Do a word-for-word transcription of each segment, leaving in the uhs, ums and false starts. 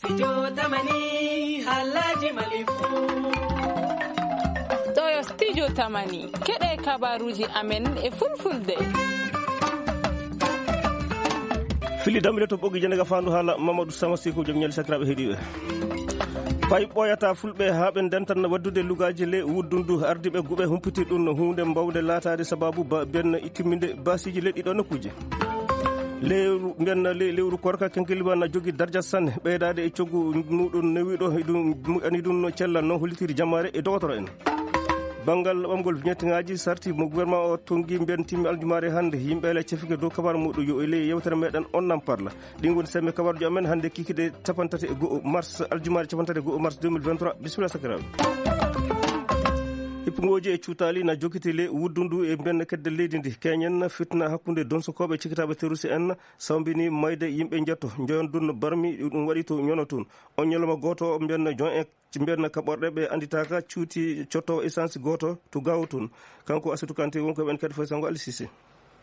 Studio Tamani, haalaaji Mali fuu. Ɗo yo Studio Tamani, keɗe kabaruuji amen e fulfulde. Fili dammbile to ɓoggi jeenayi faandu haala Mamadou Sama Siko, jom ñaali sakiraaɓe heɗiiɓe. Fay ɓooyata fulɓe haa ɓe ndentan waddude lugaaji le wuddundu ardiiɓe guɓe humpiti ɗum no huunde mbawnde laataade sababu ba benn timminde baasiiji leɗɗi ɗo nokkuuje. Lewru, mbiyen le-, lewru korka kenkeliba na jogi darja sanne, ɓeydaade e coggu muɗum newiɗo, e ɗum moƴƴani ɗum no cella no hollitiri jamaare e dogotoro en. Banngal ɓamgol vignette ŋaaji sarti mo gouvernement o tongi mbiyen timmi aljumaare hannde, yimɓe ele cefike dow kabar muɗum yo e ley yewtere meɗen on nan parla. Ɗin woni semme kabaruji amen hannde kikide capantati e go'o mars, aljumaare capantati e go'o mars deux mille vingt-trois. Bisimilla sakiraaɓe. Hippugooji e cuutaali na jokkiti le wuddundu e mbiyen kedde leydi ndi. Keñen fitna hakkunde donsokooɓe cikitaaɓe terroriste en sawmbini mayde yimɓe njetto, njoyon dun barmi, ɗum waɗi to ñono tun. On ñalawma gooto, mbiyen jon e, mbiyen kaɓorɗe ɓe annditaaka cuuti cotto essence gooto to Gaawo tun. Kanko Asitu Kante wonko ɓen kadi foy sango Alisise.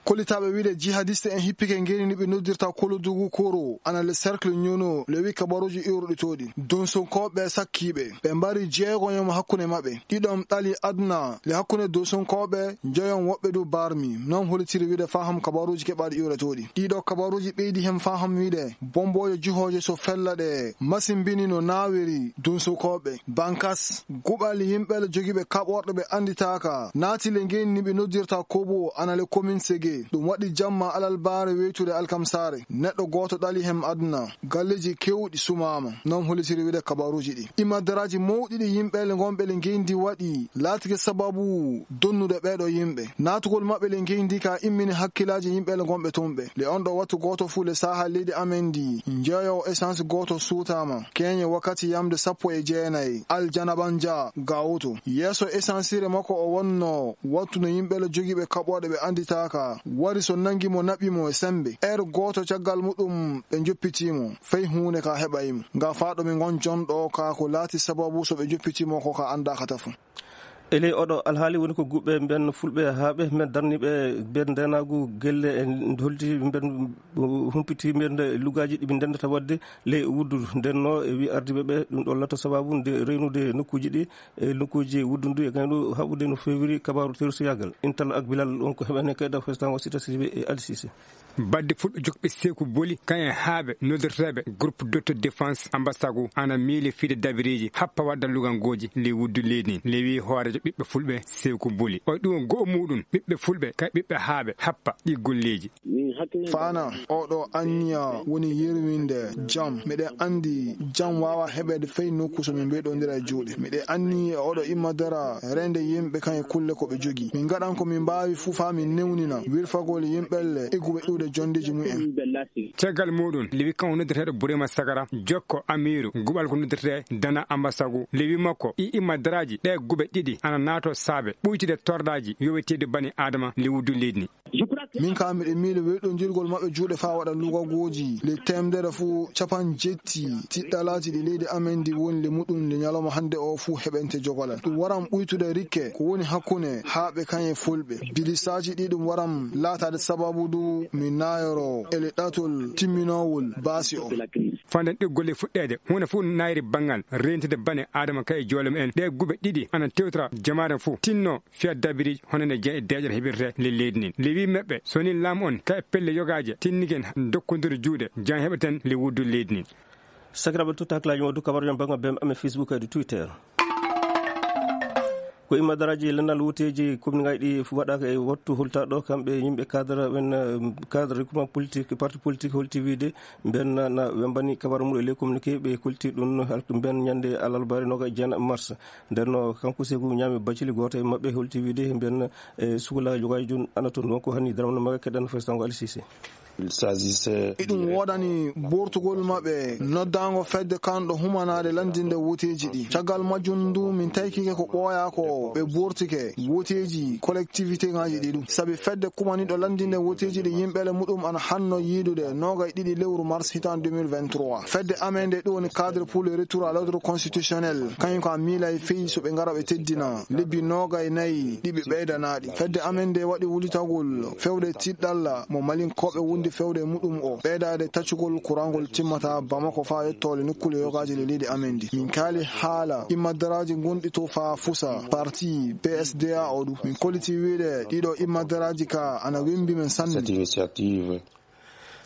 Kollitaaɓe wiide jihadiste en hippike ngeni ni ɓe noddirta Kolodugu Koro, ana le cercle Ñono, le wi kabaruji iwruɗi toɗi. Donsonkooɓe sakkiiɓe, ɓe mbari jeegoyoma hakkunde maɓɓe. Ɗiɗon ɗali aduna, le hakkunde Donsonkooɓe, njoyon woɓɓe du barmi. Non holitiri wiide faham kabaruji keɓaɗi iwre toɗi. Ɗiɗo kabaruji ɓeydi hem faham wiide, bomboje juhoje so fella ɗe, masimbini no nawiri Donsonkooɓe. Bankas, guɓal yimɓe le jogiiɓe kaɓorɗe ɓe annditaaka, naati le ngeni ni ɓe noddirta Kobo, ana le commune Sege. Ɗum waɗi jamma alalbaare weytude alkamsaare. Neɗɗo gooto ɗali hem aduna. Galleji kewɗi sumaama. Non holitiri wiide kabaruji ɗi. Imadaraaji mawɗi ɗi yimɓe le ngonɓe le ngendi waɗi, laatike sababu donnude ɓeeɗo yimɓe. Naatugol maɓɓe le ngendi ka immini hakkilaaji yimɓe le ngonɓe ton ɓe. Le on ɗo wattu gooto fuu le saaha leydi amen ndi, njeeyowo essence gooto suutaama. Keñe wakkati yamde sappo e jeenayi, Aljana Banja Gawuto. Yeeso essencerie makko o wonno, wattu no yimɓe le jogiiɓe kaɓooɗe ɓe annditaaka. Wari so nangi mo naɓi mo e sembe. Heure gooto caggal muɗum ɓe njoppiti mo. Fay huunde ka heɓayi mo. Nga faaɗo mi ngon jonɗo ka ko laati sababu so ɓe njoppiti mo ko ka anndaaka tafo. E ley oɗo alhaali woni ko guɓɓe mben fulɓe haa ɓe men darniiɓe mben ndenaagu gelle e holti mben humpiti mben lugaaji ɗi ɓe ndendata waɗde ley wuddu. Nden no e wi ardiiɓe ɓe ɗum ɗo lato sababu nde reynude nokkuuji ɗi e nokkuuji wuddundu e kayɗo haɓude no feewiri kabaaru terusiyaagal. Intal ak Bilal on ko heɓene kayda festan wasita sidiɓe e alisise. Badde fulɓe jokɓe seeku boli, kayen haaɓe noddirteeɓe groupe d'autodéfense Ambasagu ana miili fiide dabiriiji happa wadda lugangooji ley wuddu leydi ndin. Lewi hooreejo ɓiɓɓe fulɓe seeku boli. O ɗum go'o muɗum ɓiɓɓe fulɓe kay ɓiɓɓe haaɓe happa ɗi golleeji. Faana, oɗo anniya woni yerwinde jam. Miɗen anndi jam waawa heɓeede fay nokku so min mbeɗondira e juuɗe. Miɗen anni e oɗo imma dara reende yimɓe kan e kulle ko ɓe jogii. Min ngaɗan ko min mbaawi fuu faa min newnina wirfagol yimɓelle e guɓe iwde jondeeji mumen. Caggal muɗum, Lewi kan o noddirteeɗo Burema Sagara, jokko Amiru, guɓal ko noddirtee Dana Ambasagu. Lewi makko, i imma daraaji ɗe guɓe ɗiɗi ana naato saabe ɓuytude tordaaji yoweteeɗi bani Adama le wuddu leydi ni. Min kaa miɗo miili weyɗondirgol maɓɓe juuɗe faa waɗa lugagooji le teemdere fuu capan jetti tiɗɗalaaji ɗi leydi amen ndi woni le muɗum le ñalawma hannde o fuu heɓente jogolal. Ɗum waran ɓuytude rikke ko woni hakkunde haaɓe kan e fulɓe. Bilisaaji ɗi ɗum waran laataade sababu du mi naayoro e le ɗatol timminoowol baasi o. Fanden ɗiggol e fuɗɗeede, huunde fuu naayiri banngal reentude bane Adama kay e joole mumen. Ɗe guɓe ɗiɗi ana tewtora jamaare fuu tinno fiya dabiri hono nde jeeɗe deeƴere heɓirte le leydi ndin. Le wi maɓɓe, so ni laamu on ka e pelle yogaaje tinnigen dokkondiri juuɗe, jan heɓeten le wuddu leydi ndin. Sakiraaɓe, tutta hakkilaaji mon du kabaruɗen banngal B M amen Facebook e du Twitter. Ko imma daraaji lennal wuteeji commune ngaji ɗi waɗaaka e wattu hultaaɗo, kamɓe yimɓe cadre ɓen, eh, cadre recrutement politique, parti politique holti wiide mben na, na wembani kabaru mum e ley communiqué ɓe kolti ɗum no halk-, mben ñande alarbaare noga jeenaɓe mars. Nden no kanko Seeku ñaami bacili gooto e maɓɓe holti wiide mben, eh, sukula jogaaji jun ana toon. Wonko hani daramno maga keɗan festango Ali Cissé. Il s'agissait Iɗum woodani bortugol maɓɓe noddaango fedde kanɗo humanaade lanndinde woteeji ɗi. Caggal majjum ndu min taykike ko ɓooyaa ko ɓe bortike woteeji collectivité ŋaaji ɗi ɗum. Sabi fedde kumaniɗo lanndinde woteeji ɗi yimɓele muɗum ana hanno yiidude noogay ɗiɗi lewru mars hitaan deux mille vingt-trois. Fedde amen nde ɗum woni cadre pour le retour à l'ordre constitutionnel. Kañum ko a miila e feyi so ɓe ngara ɓe teddina lebbi noogay nayi ɗi ɓe ɓeydanaaɗi. Fedde amen nde waɗi wulitagol fewde tiɗɗalla mo Malinkooɓe woni Fewde muɗum o ɓeydaade taccugol kurangol timmata Bamako faa yettoole nokkuule yogaaji le leydi amen ndi. Min kaali haala immadaraaji gonɗi to faa fusa parti P S D A o ɗum. Min kolliti wiide ɗiɗo immadaraaji ka ana wembi men sanne. Cette initiative.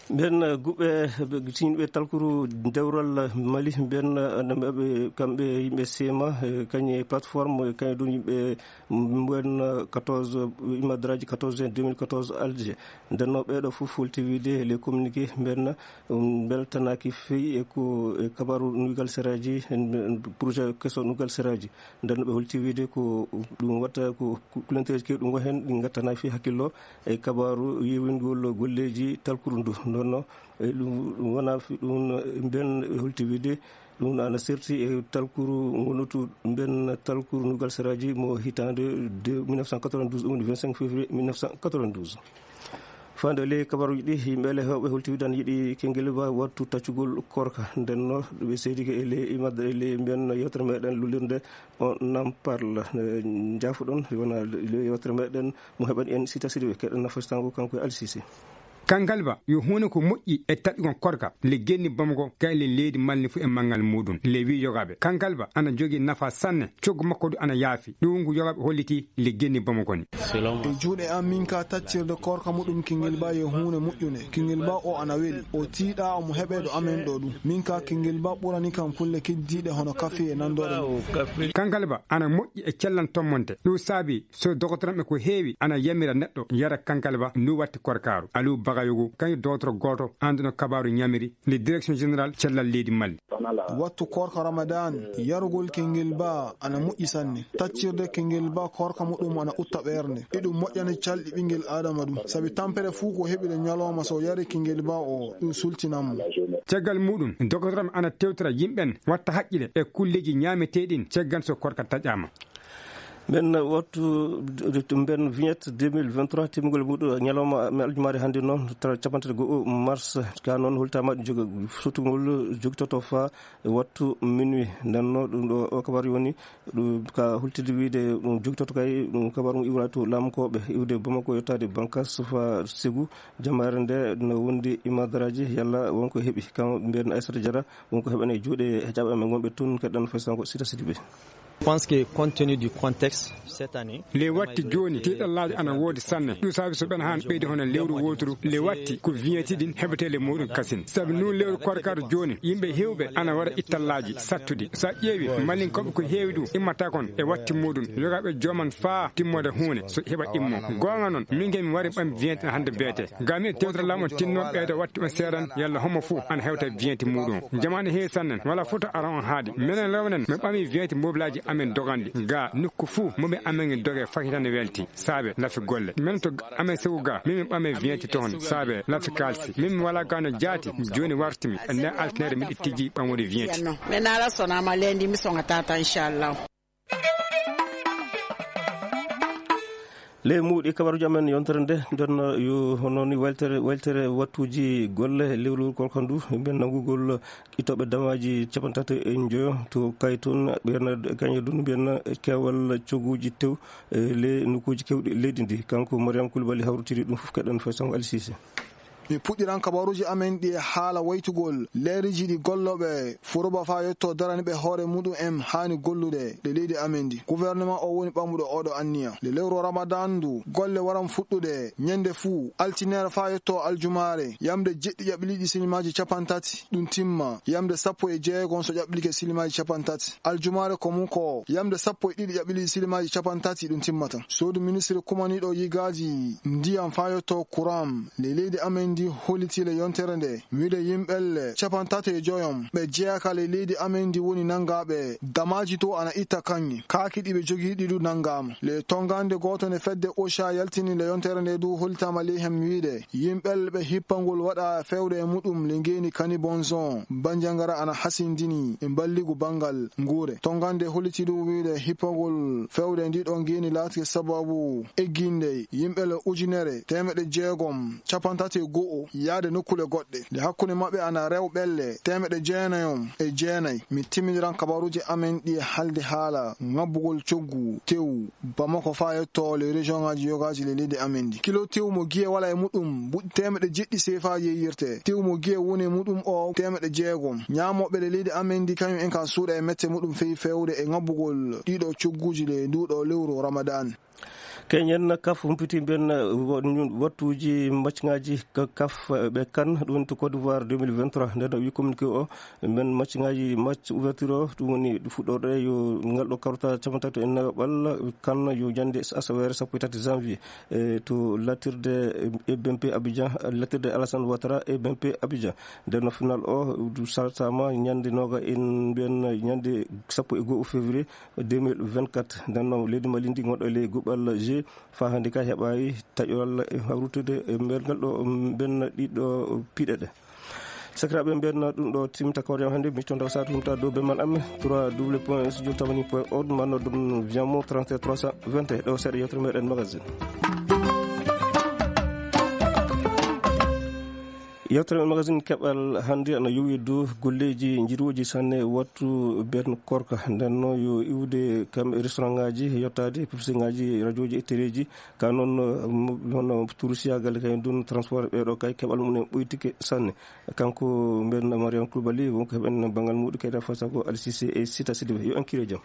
Ɓen guɓe, ɓe tinɓe talkuru dewral Mali, ɓen, ɓe, kamɓe yimɓe sema, eh, kañe plateforme, kañe ɗum yimɓe, mm, ɓen, eh, quatorze, immadaraaji quatorze deux mille quatorze Alger. Ndenno ɓeeɗo fof holti wiide les communiqués ɓen, um, mbeltanaaki feyi e ko, e kabaru nugal seraaji, en, en projet keso nugal seraaji. Ndenno ɓe holti wiide ko ɗum watta ko ku-, kulanteeji keewɗi ɗum wahen ɗi ngattanaaki feyi hakkillo e kabaru yewingol golleeji talkuru ndu. Ndenno, e ɗum, ɗum wona fi-, ɗum, e mbiyen e holti wiide, ɗum ana serti e talkuru ngonutu mbiyen talkuru nugal seraaji mo hitaande de mille neuf cent quatre-vingt-douze, ɗum woni vingt-cinq février mille neuf cent quatre-vingt-douze. Faande ley kabaruuji ɗi, yimɓe le heewɓe holti wiide ana yiɗi Kengel Ba wattu taccugol korka. Ndenno, ɓe seedike e ley imadde, e ley mbiyen yewtere meɗen lullirde on nam parla. Eh, njaafuɗon, wona le yewtere meɗen mo heɓani en Sita Sidibe, keɗen nafasitango kanko e Alsisi. Kangal ba yo huune ko moƴƴi e taƴugol korka le genni Bamako kay le leydi Mali fof e manngal muɗum. Le wi yogaaɓe kangal ba ana jogii nafa sanne, coggu makko du ana yaafi. Ɗum ngu yogaaɓe holliti le genni Bamako ni. E juuɗe am min ka taccirde korka muɗum Kingel Ba yo huune moƴƴune. Kingel Ba o ana weli. O tiiɗa omo heɓe ɗo amen ɗo ɗum. Min ka Kingel Ba ɓurani kam kulle keddiiɗe hono kafe e nanndore mum. Kangal ba ana moƴƴi e cellal tommonte. Ɗum saabi so dogotoranɓe ko heewi ana yamira neɗɗo yara kangal ba ndu watti korkaaru. Aliou Bagayoko kañum dogotoro gooto annduno kabaaru ñamiri le direction générale cellal leydi Mali. Wattu korka Ramadan, yarugol Kingel Ba ana moƴƴi sanne. Taccirde Kingel Ba korka muɗum ana utta ɓernde. Iɗum moƴƴani calɗi ɓingel Adama ɗum. Sabi tampere fuu ko heɓi ɗo ñalawma so yari Kingel Ba o, ɗum sultinan mo. Caggal muɗum, dogotoranɓe ana tewtora yimɓen watta haqqile e kulleeji ñaameteeɗin caggal so korka taƴaama. Ɓen wattu, ɓen vignette deux mille vingt-trois, timmugol muɗum ñalawma men aljumaare hannde noon, tra-, cappanɗe tati go'o mars, ka noon holtaama jogo-, sotugol jogitoto faa e wattu minuit. Nden noon ɗum ɗo o kabaru woni ɗum ka hultide wiide ɗum jogitoto kay ɗum kabaru ngu iwra to laamukooɓe iwde Bamako yottaade Bankas faa Segu. Jamaare nde no wondi imadaraaji yalla wonko heɓi. Kam mbiyen Aissata Diarra wonko heɓani e juuɗe heƴaaɓe amen wonɓe toon keɗɗan fay sango Sita Sidibe. Je pense que compte tenu du contexte cette année, le watti jooni tiiɗallaaji ana woodi sanne. Ɗum saabi so ɓen haan ɓeydi hono lewru wooturu le watti ko vignette ɗin heɓetee le muɗum kasin. Sabi nun lewru korkaaru jooni yimɓe heewɓe ana waɗa ittallaaji sattuɗi. So a ƴeewi malinkooɓe ko heewi ɗum immata kon e watti muɗum yogaaɓe jooman faa timmoode huunde so heɓa immo. Goonga noon min kay mi wari ɓam vignette hannde beete. Gami e tewtere laamu on tinno ɓeydo watti on seeran yalla homo fuu ana hewta vignette muɗum. Jamaane heewi sanne wala foto ara on haadi. Minen rewnen min ɓami vignette mobilaaji amen doganɗi. Ga nokku fuu moɓe amen doge fakitande welti. Saabe lafi golle. Min to amen sewu ga min min ɓame vignette toon. Saabe lafi kalsi. Min mi wala gano jaati. Jooni wartimi. Nde altinere miɗo tijji ɓamude vignette. Min ala sonama lendi mi songa tata inchallah. Ley muuɗi kabaruuji amen yontere nde, nden yo hono ni weltere, weltere wattuuji golle lewru korka ndu, mbiyen nanngugol ittooɓe damaaji cappanɗe tati e njoyo to Kaytun, mbiyen kañe dun, mbiyen keewal coguuji tew, e ley nokkuuji keewɗi leydi ndi. Kanko Mariam Koulibaly hawritiri ɗum fof, keɗen fay sango Ali Cissé. Mi puɗɗiran kabaruuji amen ɗi e haala waytugol leeriiji ɗi gollooɓe Furoba faa yetto daraniiɓe hoore muɗum en haani gollude ɗe leydi amen ndi. Gouvernement o woni ɓamuɗo oɗo anniya. Nde lewru Ramadan ndu, golle waran fuɗɗude ñande fuu, altineere faa yetto aljumaare, yamde jeɗɗi ƴaɓɓiliiɗi silimaaji cappanɗe tati, ɗum timma, yamde sappo e jeegom so ƴaɓɓilike silimaaji cappanɗe tati. Aljumaare ko mum ko yamde sappo e ɗiɗi ƴaɓɓiliiɗi silimaaji cappanɗe tati ɗum timmata. Suudu ministre kumaniiɗo yigaaji ndiyam faa yetto kuram, le leydi amen ndi hollitii le yontere nde, wiide yimɓelle cappanɗe tati e joyom ɓe jeyaa ka le leydi amen ndi woni nanngaaɓe damaaji to ana itta kaŋŋe. Kaaki ɗi ɓe jogii ɗi du nanngaama. Le tonngande gooto nde fedde OCHA yaltini le yontere nde du hollitaama ley hem wiide yimɓelle ɓe hippangol waɗa fewde e muɗum le ngeeni Kani Bonzon, Banjangara ana hasindini e mballigu banngal nguure. Tonngande hollitii du wiide hippagol fewde ndi ɗo ngeeni laatike sababu egginde yimɓelle ujunere teemeɗɗe jeegom cappanɗe tati e go'o O yaade nokkuule goɗɗe. Nde hakkunde maɓɓe ana rew ɓelle teemeɗɗe jeenayi on e jeenayi. Mi timmidiran kabaruuji amen ɗi e halde haala ŋabbugol coggu tew Bamako faa yetto le région ŋaaji yogaaji le leydi amen ndi. Kilo tew mo giye wala e muɗum buɗɗi teemeɗɗe jeɗɗi seefaaji e yirte. Tew mo giye woni e muɗum o teemeɗɗe jeegom. Ñaamooɓe le leydi amen ndi kañum en ka suuɗa e mette muɗum fey fewde e ŋabbugol ɗiɗo cogguuji le nduuɗo lewru Ramadan. Keñen kaf humpiti mben wattuuji macŋaaji kaf ɓe kan ɗum to Côte d'Ivoire deux mille vingt-trois. Nden o wi communiqué o mben macŋaaji match ouverture o ɗum woni fuɗɗorɗe yo ngal ɗo karota capantato e nayo ɓalla kan yo jannde asaweere sappo e tati janvier e to latirde E B M P Abidjan, latirde Alassane Ouattara E B M P Abidjan. Nden no final o du saltama ñande noga en mbiyen ñande sappo e go'o février deux mille vingt-quatre. Nden no leydi Mali ndi gonɗo e ley guɓal G fa hannde ka heɓayi taƴoral e hawrutude e mbergal ɗo mbenna ɗiɗo piɗe ɗe. Sakiraaɓe mbenna ɗum ɗo timta kawre am hannde mi tonta satu humta dow be man amme trois w point studio tamani point org manno ɗum viamo trente trois cent vingt ɗo seeɗa yewtere meɗen magazine. Yewtere men magazine keɓal hannde ana yowi dow golleeji njirooji sanne wattu ben korka. Nden no yo iwde kam e restaurant ngaji, yottaade publicité ngaji, radiooji e téléji. Ka noon, mo-, hono touriste yaagal kay ndun transport ɓeeɗo kay keɓal mum en ɓoytike sanne. Kanko mben Mariam Koulibaly, wonko heɓen banngal muɗum kayda fasa ko Al Cissé e Sita Sidibé. Yo en kire jam.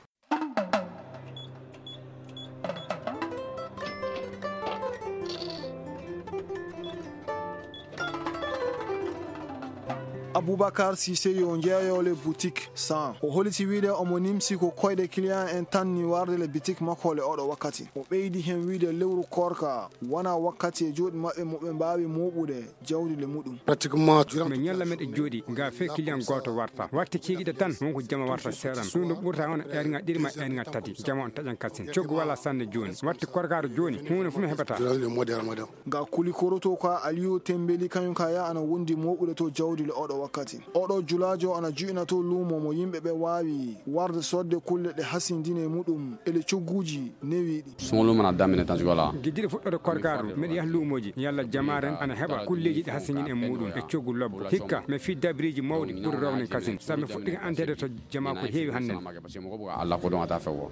Aboubacar Cissé yo jeeyoole boutique cent. O holiti wiide omo nimsi ko koyɗe client en tan ni warde le boutique makko le oɗo wakkati. O ɓeydi hen wiide lewru koorka wona wakkati e juuɗe maɓɓe mo ɓe mbaawi mooɓude jawdi le muɗum. Pratiquement, durant mi ñalla meɗe jooɗi ga fe client gooto warta. Watte ceegiɗe tan wonko jama warta seeɗan. Ɗum ɗo ɓurta on ernga ɗiɗi ma ernga tati. Jama on taƴan kasin. Coggu wala sanne jooni. Watte korkaaru jooni. Huunde fu mi heɓata. Durant le mois de Ramadan. Nga kuli koroto ka Aliyu Tembeli kañum ka ya ana wondi mooɓude to jawdi le oɗo wakkati. Oɗo julaajo ana ju'ina to luumo mo yimɓe ɓe waawi warde sodde kulle ɗe hasindine muɗum e le cogguuji newiiɗi. Suŋo luumo na daminɛ tan cogo la. Giddiɗo fuɗɗoode korkaaru, meɗe yaha luumooji, yalla jamaaren ana heɓa kulleeji ɗi hasingin e muɗum e coggu lobbo. Hikka, mi fii dabiriiji mawɗi ɓuri rownen kasin. Sabi mi fuɗɗike anteede to jamaa ko heewi hannden. Alla ko ɗon ata fewo.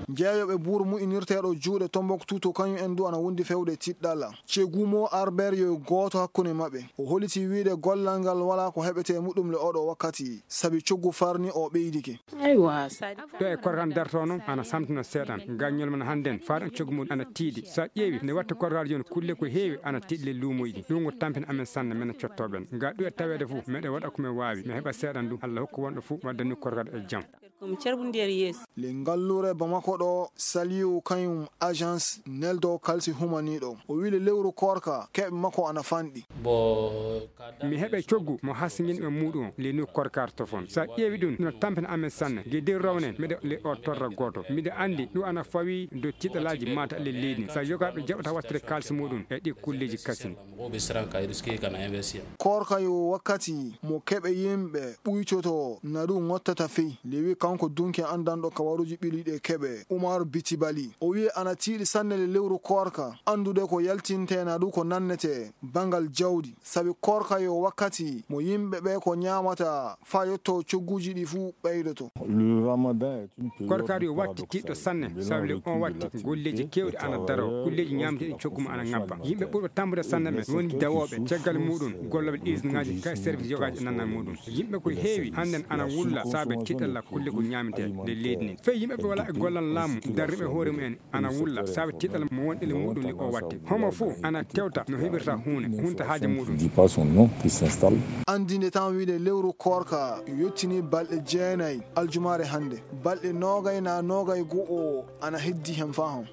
Jeeyooɓe buur mu'inirteeɗo juuɗe Tombouctou to kañum en du ana wondi fewde tiɗɗalla. Cegu mo Arber yo gooto hakkunde maɓɓe. O holiti wiide gollal ngal wala ko heɓete muɗum le oɗo wakkati, sabi coggu farni o ɓeydike. Aywa, sa Ɗo e korkan darto noon, ana samtina seeɗan. Gañol men hannden, faaɗan coggu mum ana tiiɗi. Sa ƴeewi, nde watta korkaaji jooni, kulle ko heewi ana tiiɗi le luumoyɗi. Ɗum ko tampin amen sanne, men cottooɓen. Nga ɗo e taweede fof, meɗe waɗa ko men waawi. Mi heɓa seeɗan ɗum, Alla hokku wonɗo fof, waddani korkaaɗo e jam. Ko mi cerbundeeri yeeso. Le ngallure Bamako ɗo, Saliu kañum agence neldo kalsi humaniiɗo. O wi le lewru koorka, keɓe makko ana fanɗi. Bo Mi heɓay coggu mo hasingin e muɗum le nu korkar tofon. Sa ƴeewi ɗum, no tampina amen sanne. Ge der rawnen, miɗo le o torra gooto. Miɗo andi ɗum ana fawi do tiɗalaaji mata le leydi. Sa yogaɓe jaɓata wattude kalsi muɗum e ɗi kulleeji kasin. Koorka yo wakkati mo keɓe yimɓe ɓuytoto na ɗum ngottata fey. Lewi kanko dunke andanɗo kawaruji ɓiliɗe keɓe. Umar Bitibali. O wi'i ana tiiɗi sanne le lewru koorka. Andude ko yaltinte na ɗum ko nannete bangal jawdi. Sabi koorka yo wakkati mo yimɓe ɓe ko ñaamata faa yotto cogguuji ɗi fuu ɓeydoto. Le Ramadan est une période Korkaaru yo watti tiiɗɗo sanne, sabi le on watti golleeji keewɗi ana daro, golleeji ñaamteeɗi coggu mum ana ŋabba. Yimɓe ɓurɓe tampude sanne ɓe woni dawooɓe, caggal muɗum gollooɓe usine ŋaaji ka service yogaaji e nannal muɗum. Yimɓe ko heewi hannden ana wulla saabe tiiɗalla kulle ko ñaametee nde leydi ndin. Fey yimɓe ɓe walaa e gollal laamu darriiɓe hoore mumen ana wulla saabe tiiɗalla mo wonɗi le muɗum li o watti. Homo fuu ana tewta no heɓirta huune, hunta haaje muɗum. Dis pas son nom, qui s'installe. Andinde tan wiide lewru koorka yottini balɗe jeenayi aljumaare hannde. Balɗe noogay na noogay go'o ana heddi hen faa hon.